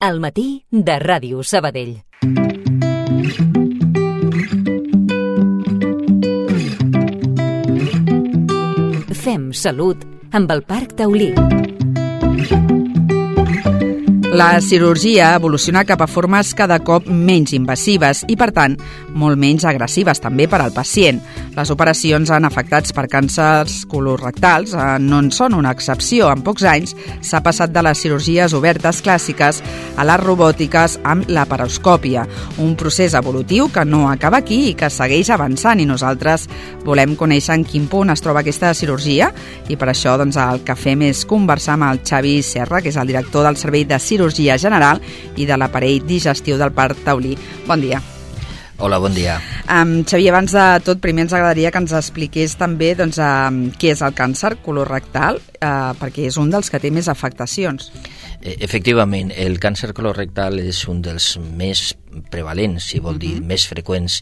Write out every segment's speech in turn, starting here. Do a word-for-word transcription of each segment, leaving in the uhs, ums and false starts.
Al matí de Ràdio Sabadell. Fem salut amb el Parc Taulí. La cirurgia evoluciona cap a formes cada cop menys invasives i, per tant, molt menys agressives també per al pacient. Les operacions en afectats per càncers colorectals no en són una excepció. En pocs anys s'ha passat de les cirurgies obertes clàssiques a les robòtiques amb laparoscòpia, un procés evolutiu que no acaba aquí i que segueix avançant, i nosaltres volem conèixer en quin punt es troba aquesta cirurgia, i per això doncs, el que fem és conversar amb el Xavi Serra, que és el director del Servei de Cirurgia Cirurgia General i de l'aparell digestiu del Parc Taulí. Bon dia. Hola, bon dia. Um, Xavi, abans de tot, primer ens agradaria que ens expliqués també doncs, um, què és el càncer colorectal, uh, perquè és un dels que té més afectacions. Efectivament, el càncer colorectal és un dels més prevalents, si vol dir, uh-huh. més freqüents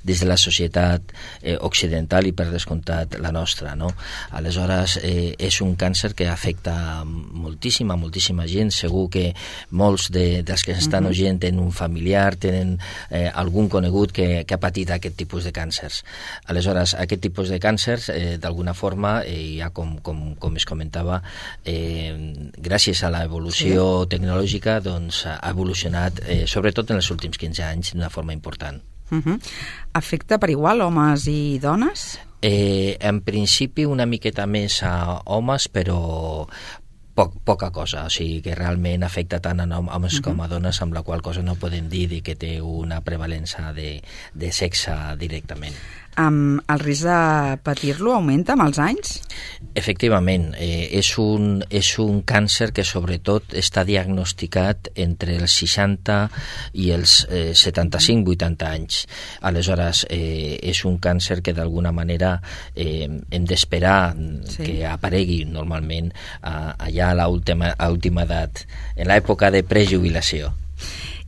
dins de la societat eh, occidental i per descomptat la nostra, no? Aleshores, eh, és un càncer que afecta moltíssima, moltíssima gent. Segur que molts de, dels que estan uh-huh. oient tenen un familiar, tenen eh, algun conegut que, que ha patit aquest tipus de càncers. Aleshores, aquest tipus de càncers, eh, d'alguna forma, eh, ja com, com, com es comentava, eh, gràcies a l'evolució sí. tecnològica, doncs, ha evolucionat, eh, sobretot en els últims quinze anys, d'una forma important. Uh-huh. Afecta per igual homes i dones? Eh, en principi una miqueta més a homes, però poc, poca cosa, o sigui que realment afecta tant a homes uh-huh. com a dones, amb la qual cosa no podem dir que té una prevalença de, de sexe directament. Um, el risc de patir-lo augmenta amb els anys? Efectivament, eh, és, un, és un càncer que sobretot està diagnosticat entre els seixanta i els eh, setanta-cinc vuitanta anys. Aleshores, eh, és un càncer que d'alguna manera eh, hem d'esperar sí. que aparegui normalment eh, allà a l'última a última edat, en l'època de prejubilació.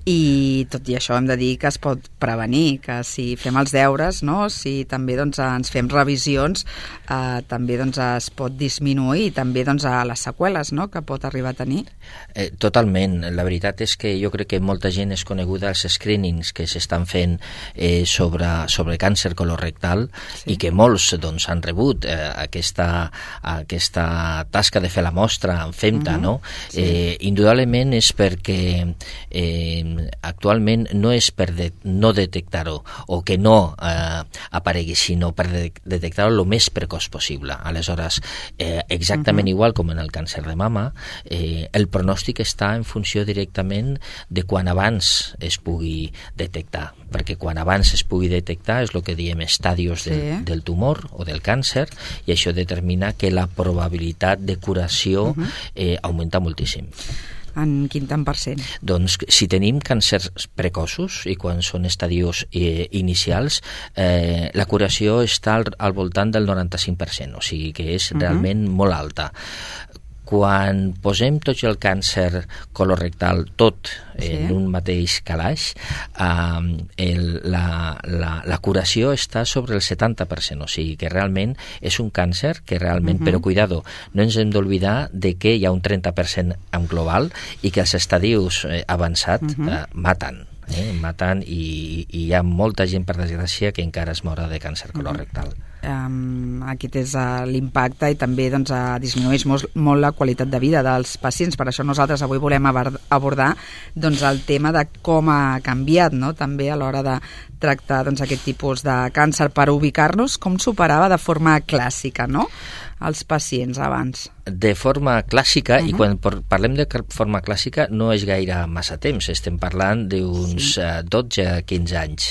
I tot i això hem de dir que es pot prevenir, que si fem els deures, no? Si també doncs, ens fem revisions, eh, també doncs, es pot disminuir també doncs, a les seqüeles, no? Que pot arribar a tenir. Eh, totalment. La veritat és que jo crec que molta gent és coneguda als screenings que s'estan fent eh, sobre, sobre càncer colorectal sí. i que molts doncs, han rebut eh, aquesta, aquesta tasca de fer la mostra en FEMTA, uh-huh. no? Sí. Eh, indudablement és perquè eh, actualment no és per de, no detectar-ho o que no eh, aparegui, sinó per de, detectar-ho el més precoç possible. Aleshores, eh, exactament uh-huh. igual com en el càncer de mama, eh, el pronòstic està en funció directament de quan abans es pugui detectar, perquè quan abans es pugui detectar és el que diem estadios del, sí. del tumor o del càncer, i això determina que la probabilitat de curació uh-huh. eh, augmenta moltíssim. En quin tant per cent? Doncs si tenim càncers precoços i quan són estadios eh, inicials, eh, la curació està al, al voltant del noranta-cinc per cent, o sigui que és uh-huh. realment molt alta. Quan posem tot el càncer colorectal, tot sí. en un mateix calaix, eh, el, la, la, la curació està sobre el setanta per cent, o sigui que realment és un càncer que realment, uh-huh. però cuidado, no ens hem d'oblidar de que hi ha un trenta per cent en global i que els estadius eh, avançats uh-huh. eh, maten. Eh, maten i, i hi ha molta gent, per desgràcia, que encara es morà de càncer colorectal. Uh-huh. Um, aquest és uh, l'impacte i també doncs, uh, disminueix molt, molt la qualitat de vida dels pacients. Per això nosaltres avui volem abordar doncs, el tema de com ha canviat, no? També a l'hora de tractar doncs, aquest tipus de càncer, per ubicar-nos com s'operava de forma clàssica, no? Els pacients abans. De forma clàssica, uh-huh. i quan parlem de forma clàssica no és gaire massa temps, estem parlant d'uns sí. dotze a quinze anys.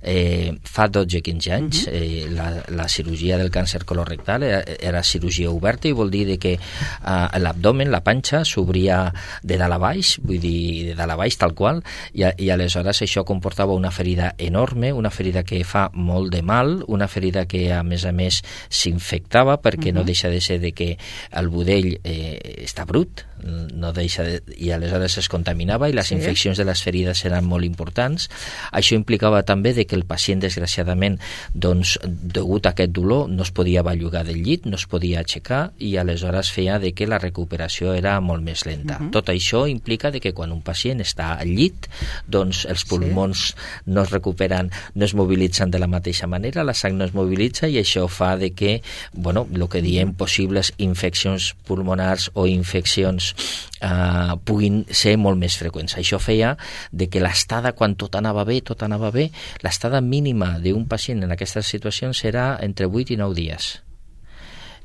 Eh, fa dotze a quinze anys uh-huh. eh, la, la cirurgia del càncer colorectal era, era cirurgia oberta, i vol dir que eh, l'abdomen, la panxa, s'obria de dalt a baix, vull dir, de dalt a baix tal qual, i, i aleshores això comportava una ferida enorme enorme, una ferida que fa molt de mal, una ferida que a més a més s'infectava perquè uh-huh. no deixa de ser de que el budell eh, està brut, no deixa de, i aleshores es contaminava i les sí. infeccions de les ferides eren molt importants. Això implicava també de que el pacient, desgraciadament, doncs, degut a aquest dolor, no es podia bellugar del llit, no es podia aixecar i aleshores feia de que la recuperació era molt més lenta. Uh-huh. Tot això implica de que quan un pacient està al llit, doncs els pulmons sí. no es recuperen, no es mobilitzen de la mateixa manera, la sang no es mobilitza i això fa de que, bueno, el que diem possibles infeccions pulmonars o infeccions Uh, puguin ser molt més freqüents. Això feia de que l'estada, quan tot anava bé, tot anava bé, l'estada mínima d'un pacient en aquestes situacions serà entre vuit i nou dies.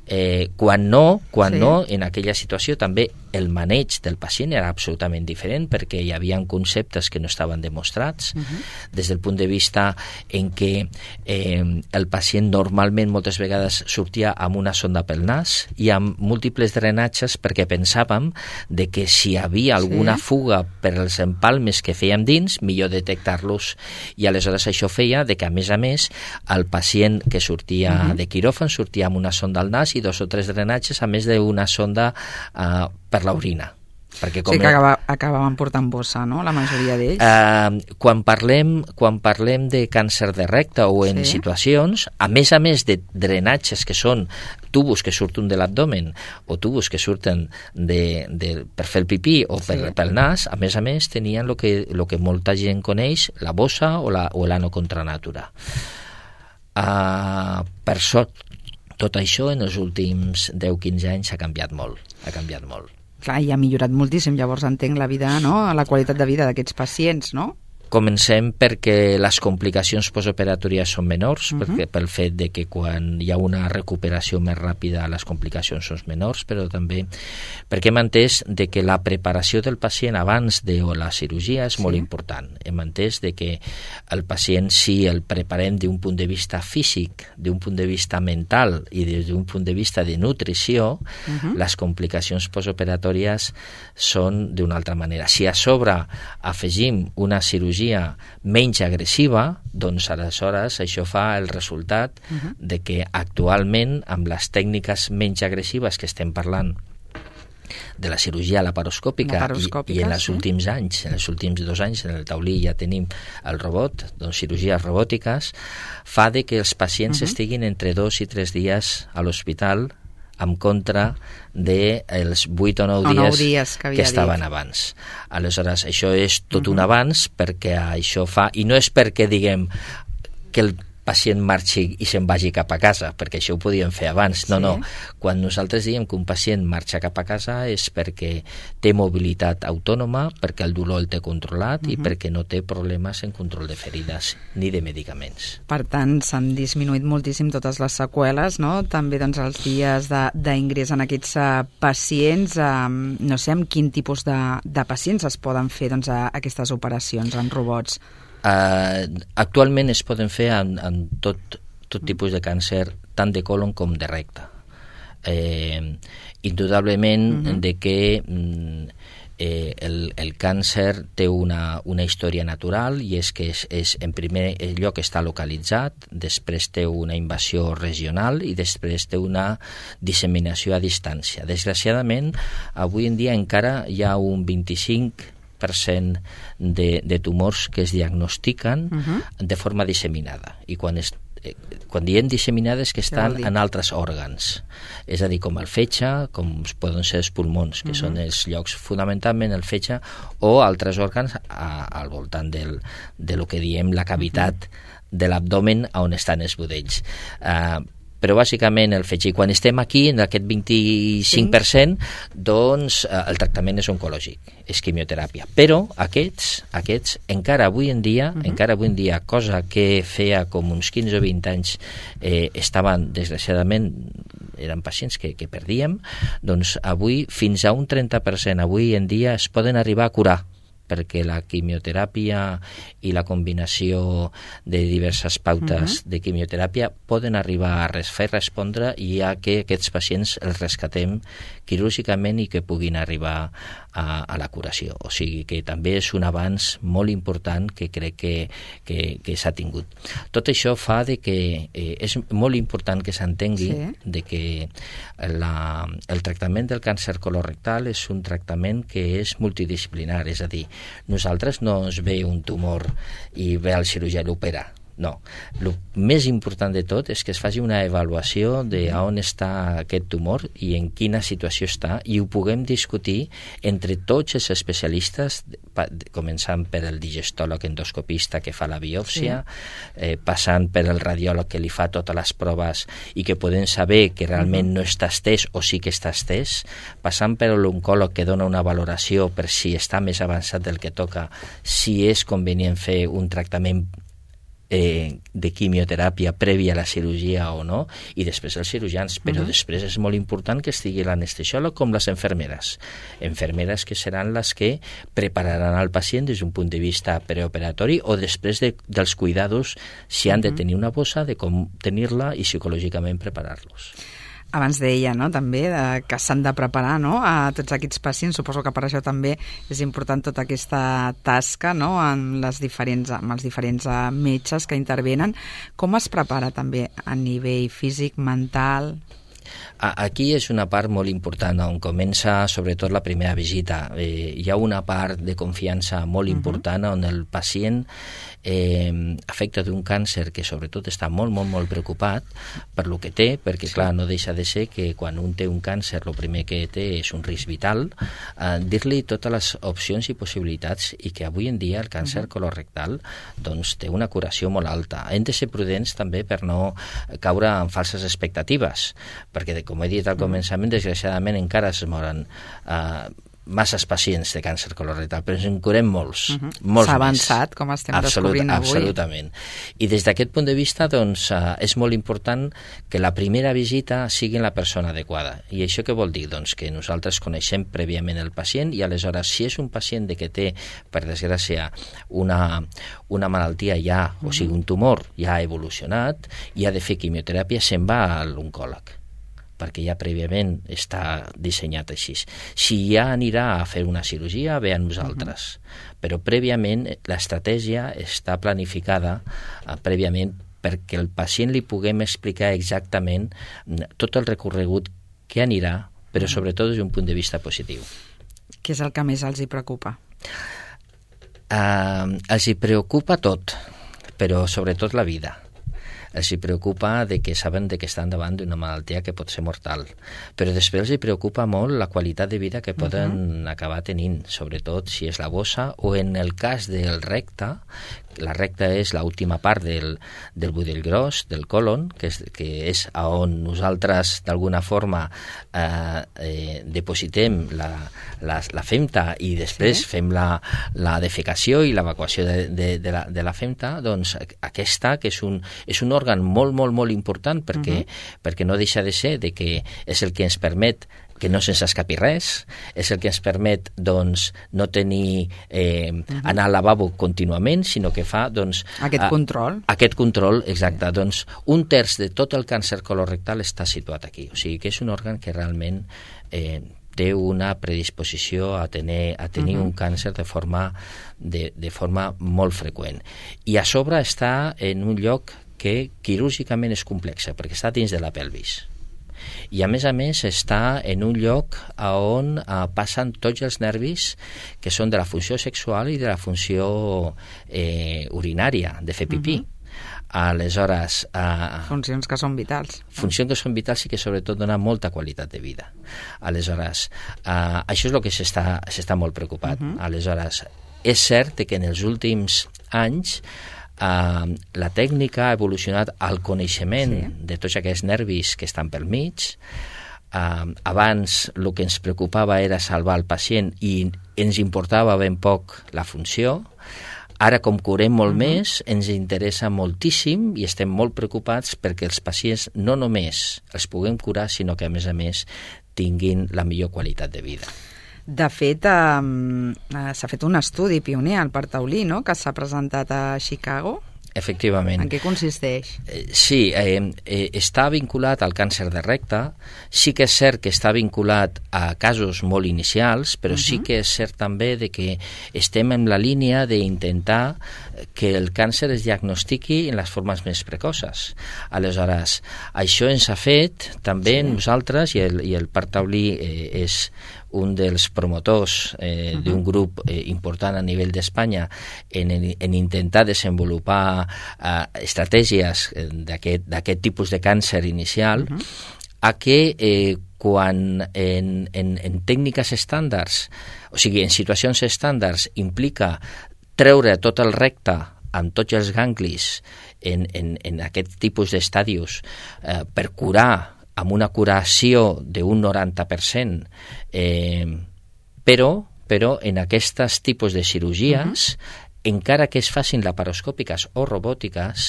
Eh, quan no, quan sí. no, en aquella situació també el maneig del pacient era absolutament diferent perquè hi havia conceptes que no estaven demostrats uh-huh. des del punt de vista en què eh, el pacient normalment moltes vegades sortia amb una sonda pel nas i amb múltiples drenatges perquè pensàvem de que si hi havia alguna sí. fuga per els empalmes que fèiem dins, millor detectar-los i aleshores això feia de que a més a més el pacient que sortia uh-huh. de quiròfan sortia amb una sonda al nas i dos o tres drenatges, a més d'una sonda uh, per l'orina. Perquè com sí que acaba, acabaven portant bossa, no?, la majoria d'ells. Uh, quan, parlem, quan parlem de càncer de recte o en sí. situacions, a més a més de drenatges que són tubos que surten de l'abdomen o tubos que surten de, de, per fer el pipí o per, sí. pel nas, a més a més tenien el que, lo que molta gent coneix, la bossa o la, o l'ano contra natura. Uh, per sort, tot això en els últims deu a quinze anys ha canviat molt, ha canviat molt. Clar, i ha millorat moltíssim, llavors entenc la vida, no?, la qualitat de vida d'aquests pacients, no? Comencem perquè les complicacions postoperatòries són menors, uh-huh. perquè pel fet de que quan hi ha una recuperació més ràpida les complicacions són menors, però també perquè hem entès de que la preparació del pacient abans de la cirurgia és sí. molt important. Hem entès de que el pacient, si el preparem d'un punt de vista físic, d'un punt de vista mental i des d'un punt de vista de nutrició, uh-huh. les complicacions postoperatòries són d'una altra manera. Si a sobre afegim una cirurgia menys agressiva, doncs aleshores això fa el resultat uh-huh. de que actualment amb les tècniques menys agressives que estem parlant de la cirurgia laparoscòpica, laparoscòpica i, i en els sí. últims anys, en els últims dos anys en el taulí ja tenim el robot, doncs cirurgies robòtiques, fa de que els pacients uh-huh. estiguin entre dos i tres dies a l'hospital en contra dels vuit o nou dies, dies que, que estaven dit. abans. Aleshores, això és tot uh-huh. un avanç perquè això fa... I no és perquè diguem que el pacient marxi i se'n vagi cap a casa, perquè això ho podíem fer abans. No, sí. no. Quan nosaltres diem que un pacient marxa cap a casa és perquè té mobilitat autònoma, perquè el dolor el té controlat uh-huh. i perquè no té problemes en control de ferides ni de medicaments. Per tant, s'han disminuït moltíssim totes les seqüeles, no? També doncs, els dies d'ingrés en aquests uh, pacients. Uh, no sé amb quin tipus de, de pacients es poden fer doncs, uh, aquestes operacions en robots. Uh, actualment es poden fer en, en tot, tot tipus de càncer, tant de colon com de recte. Eh, indudablement uh-huh. de que eh, el, el càncer té una, una història natural i és que és, és en primer lloc està localitzat, després té una invasió regional i després té una disseminació a distància. Desgraciadament, avui en dia encara hi ha un vint-i-cinc per cent de, de tumors que es diagnostiquen uh-huh. de forma disseminada. I quan, es, eh, quan diem disseminada és que estan en altres òrgans. És a dir, com el fetge, com poden ser els pulmons, que uh-huh. són els llocs fonamentalment el fetge, o altres òrgans a, al voltant del, de lo que diem la cavitat uh-huh. de l'abdomen on estan els budells. Uh, però bàsicament el fetge. I quan estem aquí, en aquest vint-i-cinc per cent, doncs eh, el tractament és oncològic, és quimioteràpia. Però aquests, aquests encara avui en dia, uh-huh. encara avui en dia, cosa que feia com uns quinze o vint anys eh, estaven, desgraciadament, eren pacients que, que perdíem, doncs avui fins a un trenta per cent avui en dia es poden arribar a curar perquè la quimioteràpia i la combinació de diverses pautes uh-huh. de quimioteràpia poden arribar a res, fer respondre i a que aquests pacients els rescatem quirúrgicament i que puguin arribar a, a la curació. O sigui que també és un avanç molt important que crec que, que, que s'ha tingut. Tot això fa de que eh, és molt important que s'entengui sí. de que la, el tractament del càncer colorectal és un tractament que és multidisciplinar, és a dir, nosaltres no ens ve un tumor i ve el cirurgià i l'opera. No. El més important de tot és que es faci una avaluació de on està aquest tumor i en quina situació està i ho puguem discutir entre tots els especialistes, començant per el digestòleg endoscopista que fa la biòpsia, sí. eh, passant per el radiòleg que li fa totes les proves i que podem saber que realment uh-huh. no està estès o sí que està estès, passant per l'oncòleg que dona una valoració per si està més avançat del que toca, si és convenient fer un tractament Eh, de quimioteràpia prèvia a la cirurgia o no, i després els cirurgians, però uh-huh. després és molt important que estigui l'anestesiòleg com les infermeres. Infermeres que seran les que prepararan al pacient des d'un punt de vista preoperatori o després de, dels cuidados, si han uh-huh. de tenir una bossa, de com tenir-la i psicològicament preparar-los. Abans deia, no?, també de, que s'han de preparar, no?, a tots aquests pacients. Suposo que per això també és important tota aquesta tasca, no?, amb, les diferents, amb els diferents metges que intervenen. Com es prepara també a nivell físic, mental? Aquí és una part molt important on comença sobretot la primera visita. Eh, hi ha una part de confiança molt important uh-huh. on el pacient eh, afecta d'un càncer que sobretot està molt, molt, molt preocupat per lo que té, perquè sí. clar, no deixa de ser que quan un té un càncer el primer que té és un risc vital, eh, dir-li totes les opcions i possibilitats i que avui en dia el càncer uh-huh. colorectal doncs, té una curació molt alta. Hem de ser prudents també per no caure en falses expectatives, perquè com he dit al començament, desgraciadament encara es moren eh, masses pacients de càncer colorectal, però ens en curem molts, uh-huh. molts S'ha avançat, més. Com estem Absolut, descobrint avui. Absolutament. I des d'aquest punt de vista, doncs, eh, és molt important que la primera visita sigui la persona adequada. I això què vol dir? Doncs que nosaltres coneixem prèviament el pacient i aleshores, si és un pacient de que té, per desgràcia, una, una malaltia ja, uh-huh. o sigui, un tumor ja evolucionat, i ha de fer quimioteràpia, se'n va a l'oncòleg, perquè ja prèviament està dissenyat així. Si ja anirà a fer una cirurgia, ve a nosaltres. Uh-huh. Però prèviament l'estratègia està planificada uh, prèviament perquè el pacient li puguem explicar exactament tot el recorregut que anirà, però sobretot des d'un punt de vista positiu. Què és el que més els hi preocupa? Uh, els hi preocupa tot, però sobretot la vida. Els hi preocupa de que saben de que estan davant d'una malaltia que pot ser mortal, però després els hi preocupa molt la qualitat de vida que poden uh-huh. acabar tenint, sobretot si és la bossa o en el cas del recte. La recta és l'última part del, del budell gros, del colon, que és, que és on nosaltres d'alguna forma eh, eh, depositem la, la, la femta i després sí. fem la, la defecació i l'evacuació de, de, de, la, de la femta. Doncs aquesta, que és un, és un òrgan molt, molt, molt important perquè, uh-huh. perquè no deixa de ser de que és el que ens permet que no se'ns escapi res, és el que ens permet doncs, no tenir eh, uh-huh. anar al lavabo contínuament, sinó que fa doncs, aquest a, control. Aquest control, exacte. Sí. Doncs un terç de tot el càncer colorectal està situat aquí. O sigui que és un òrgan que realment eh, té una predisposició a tenir, a tenir uh-huh. un càncer de forma, de, de forma molt freqüent. I a sobre està en un lloc que quirúrgicament és complexa, perquè està dins de la pelvis. I a més a més està en un lloc on eh, passen tots els nervis que són de la funció sexual i de la funció eh, urinària, de fer pipí. Uh-huh. Aleshores... Eh, funcions que són vitals. Funcions que són vitals i que sobretot donen molta qualitat de vida. Aleshores, eh, això és el que s'està, s'està molt preocupat. Uh-huh. Aleshores, és cert que en els últims anys Uh, la tècnica ha evolucionat al coneixement sí. de tots aquests nervis que estan pel mig. Uh, abans el que ens preocupava era salvar el pacient i ens importava ben poc la funció. Ara, com curem molt uh-huh. més, ens interessa moltíssim i estem molt preocupats perquè els pacients no només els puguem curar, sinó que a més a més tinguin la millor qualitat de vida. De fet, eh, s'ha fet un estudi pioner al Parc Taulí, no?, que s'ha presentat a Chicago. Efectivament. En què consisteix? Sí, eh, eh, està vinculat al càncer de recte. Sí que és cert que està vinculat a casos molt inicials, però uh-huh. sí que és cert també de que estem en la línia d'intentar que el càncer es diagnostiqui en les formes més precoces. Aleshores, això ens ha fet també sí. nosaltres, i el, i el Parc Taulí eh, és un dels promotors eh, uh-huh. d'un grup eh, important a nivell d'Espanya en, en intentar desenvolupar eh, estratègies d'aquest, d'aquest tipus de càncer inicial, uh-huh. a que eh, quan en, en, en tècniques estàndards, o sigui, en situacions estàndards, implica treure tot el recte amb tots els ganglis en, en, en aquest tipus d'estadios eh, per curar amb una curació d'un noranta per cent, eh, però, però en aquests tipus de cirurgies, uh-huh. encara que es facin laparoscòpiques o robòtiques,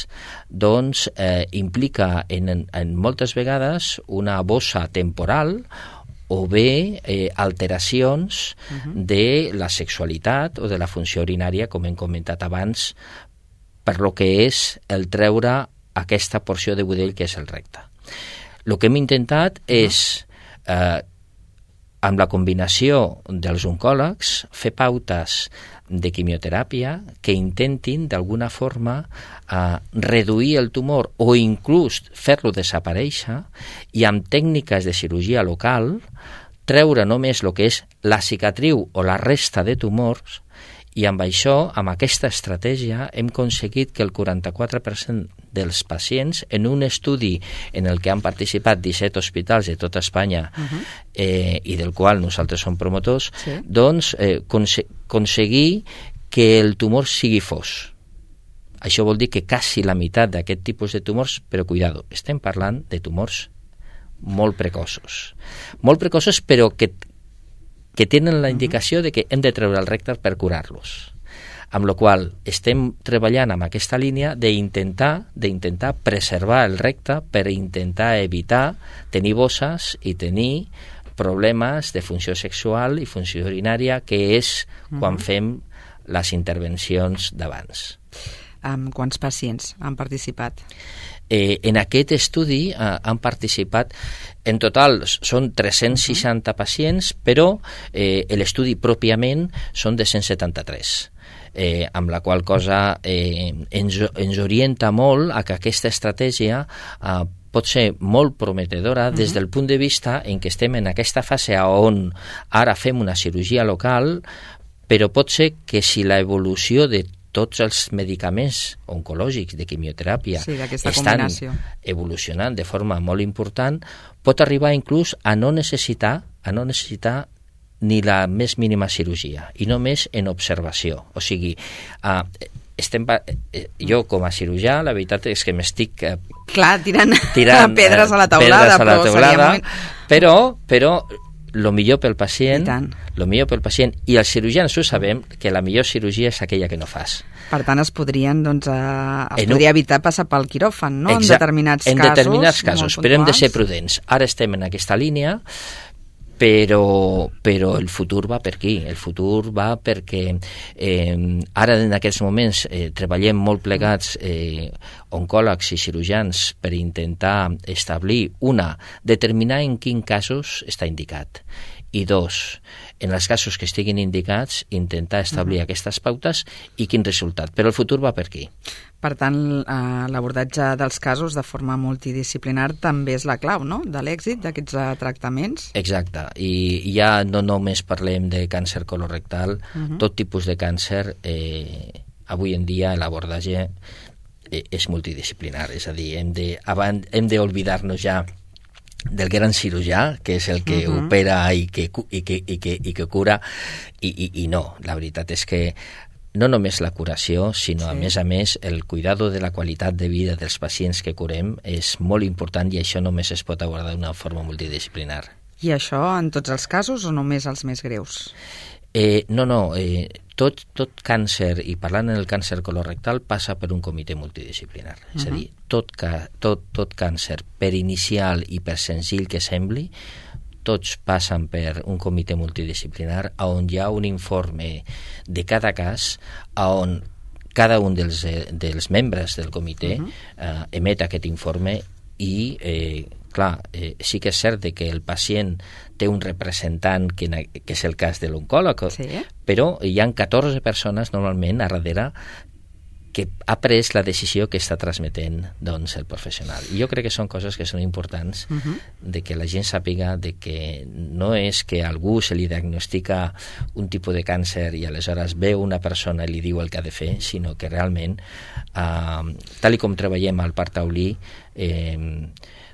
doncs eh, implica en, en moltes vegades una bossa temporal o bé eh, alteracions uh-huh. de la sexualitat o de la funció urinària, com hem comentat abans, per lo que és el treure aquesta porció de budell que és el recte. El que hem intentat és, eh, amb la combinació dels oncòlegs, fer pautes de quimioteràpia que intentin, d'alguna forma, eh, reduir el tumor o inclús fer-lo desaparèixer i amb tècniques de cirurgia local treure només el que és la cicatriu o la resta de tumors. I amb això, amb aquesta estratègia, hem aconseguit que el quaranta-quatre per cent dels pacients, en un estudi en el que han participat disset hospitals de tota Espanya uh-huh. eh, i del qual nosaltres som promotors, sí. doncs eh, conse- aconseguir que el tumor sigui fos. Això vol dir que quasi la meitat d'aquest tipus de tumors, però cuidado, estem parlant de tumors molt precoços. Molt precoços, però que que tenen la indicació de que hem de treure el recte per curar-los. Amb la qual estem treballant amb aquesta línia d'intentar d'intentar preservar el recte per intentar evitar tenir bosses i tenir problemes de funció sexual i funció urinària, que és quan fem les intervencions d'abans. Amb quants pacients han participat? Eh, en aquest estudi eh, han participat, en total són tres-cents seixanta uh-huh. pacients, però eh, l'estudi pròpiament són de cent setanta-tres, eh, amb la qual cosa eh, ens, ens orienta molt a que aquesta estratègia eh, pot ser molt prometedora uh-huh. des del punt de vista en què estem en aquesta fase on ara fem una cirurgia local, però pot ser que si l'evolució de tots els medicaments oncològics de quimioteràpia sí, estan combinació. evolucionant de forma molt important, pot arribar inclús a no necessitar, a no necessitar ni la més mínima cirurgia, i només en observació. O sigui, uh, estem, eh, jo com a cirurgià, la veritat és que m'estic eh, Clar, tirant, tirant pedres a la taulada, pedres a la taulada però, però, però lo millor pel pacient, lo millor pel pacient, i els cirurgians ho sabem, que la millor cirurgia és aquella que no fas. Per tant, es podrien, doncs, eh, es podria evitar passar pel quiròfan, no? Exacte, en determinats en casos. En determinats casos, però hem de ser prudents. Ara estem en aquesta línia, però, però el futur va per aquí. El futur va perquè eh, ara en aquests moments eh, treballem molt plegats eh, oncòlegs i cirurgians per intentar establir, una, determinar en quins casos està indicat, i dos, en els casos que estiguin indicats, intentar establir uh-huh. aquestes pautes i quin resultat. Però el futur va per aquí. Per tant, eh, l'abordatge dels casos de forma multidisciplinar també és la clau, no?, de l'èxit d'aquests eh, tractaments. Exacte. I ja no només parlem de càncer colorectal, uh-huh. tot tipus de càncer, eh, avui en dia l'abordatge eh, és multidisciplinar. És a dir, hem de, abans, hem d'oblidar-nos ja del gran cirurgià, que és el que uh-huh. opera i que, i, que, i, que, i que cura, i, i, i no. La veritat és que no només la curació, sinó sí. a més a més el cuidado de la qualitat de vida dels pacients que curem és molt important, i això només es pot abordar d'una forma multidisciplinar. I això en tots els casos o només els més greus? Eh, no, no, eh, tot, tot càncer, i parlant en el càncer colorectal, passa per un comitè multidisciplinar. Uh-huh. És a dir, tot, ca, tot, tot càncer, per inicial i per senzill que sembli, tots passen per un comitè multidisciplinar on hi ha un informe de cada cas on cada un dels, dels membres del comitè uh-huh. eh, emet aquest informe i eh, clar, eh, sí que és cert que el pacient té un representant que, que és el cas de l'oncòleg, sí. però hi ha catorze persones normalment a darrere que ha pres la decisió que està transmetent doncs, el professional. I jo crec que són coses que són importants uh-huh. de que la gent sàpiga de que no és que a algú se li diagnostica un tipus de càncer i aleshores ve una persona i li diu el que ha de fer, sinó que realment, eh, tal i com treballem al Parc Taulí, eh,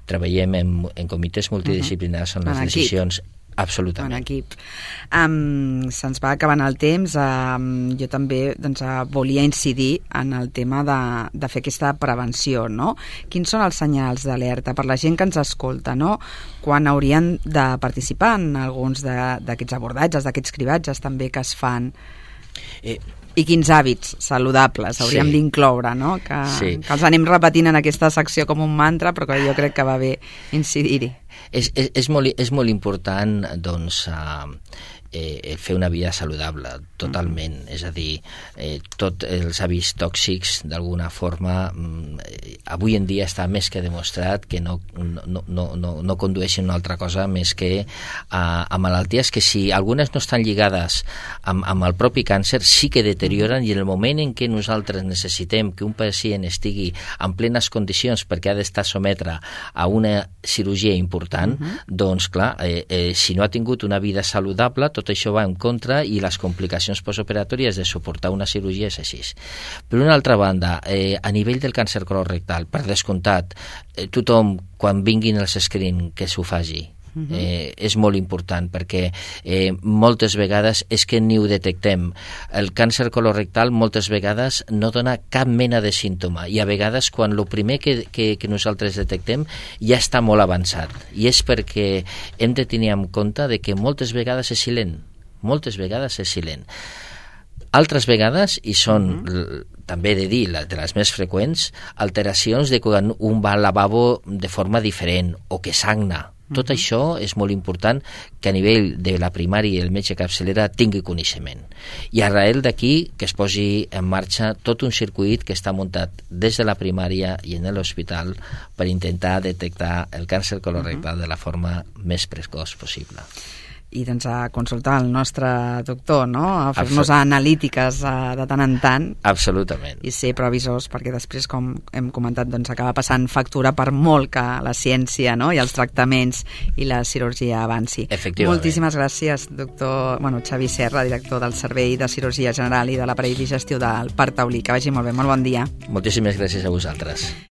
treballem en, en comitès multidisciplinars on uh-huh. les decisions absolutament. En equip. Um, se'ns va acabant el temps. Um, jo també doncs, uh, volia incidir en el tema de, de fer aquesta prevenció, no? Quins són els senyals d'alerta per la gent que ens escolta, no? Quan haurien de participar en alguns d'aquests abordatges, d'aquests cribatges també que es fan? Eh, I quins hàbits saludables hauríem sí. d'incloure, no? Que, sí. que els anem repetint en aquesta secció com un mantra, però que jo crec que va bé incidir-hi. És, és, és, molt, és molt important doncs, uh, eh, fer una vida saludable, totalment. Mm. És a dir, eh, tots els hàbits tòxics, d'alguna forma, eh, avui en dia està més que demostrat que no, no, no, no, no condueixen una altra cosa més que a, a malalties que si algunes no estan lligades amb, amb el propi càncer, sí que deterioren, i en el moment en què nosaltres necessitem que un pacient estigui en plenes condicions perquè ha d'estar sometre a una cirurgia important, uh-huh. doncs clar, eh, eh, si no ha tingut una vida saludable, tot això va en contra i les complicacions postoperatòries de suportar una cirurgia és així. Per una altra banda, eh, a nivell del càncer colorectal, per descomptat, eh, tothom, quan vinguin els screen, que s'ho faci. Uh-huh. Eh, és molt important perquè eh, moltes vegades és que ni ho detectem. El càncer colorectal moltes vegades no dona cap mena de símptoma i a vegades quan el primer que, que, que nosaltres detectem ja està molt avançat, i és perquè hem de tenir en compte de que moltes vegades és silent, moltes vegades és silent. Altres vegades, i són uh-huh. també he de dir, de les més freqüents, alteracions de quan un va al lavabo de forma diferent o que sagna. Tot uh-huh. això és molt important que a nivell de la primària i el metge capçalera tingui coneixement. I arrel d'aquí que es posi en marxa tot un circuit que està muntat des de la primària i en l'hospital per intentar detectar el càncer colorectal uh-huh. de la forma més precoç possible. I doncs a consultar el nostre doctor, no? A fer-nos Absolut. analítiques uh, de tant en tant. Absolutament. I ser previsors, perquè després, com hem comentat, doncs acaba passant factura per molt que la ciència, no? I els tractaments i la cirurgia avanci. Efectivament. Moltíssimes gràcies, doctor bueno, Xavi Serra, director del Servei de Cirurgia General i de l'Aparell Digestiu del Parc Taulí. Que vagi molt bé, molt bon dia. Moltíssimes gràcies a vosaltres.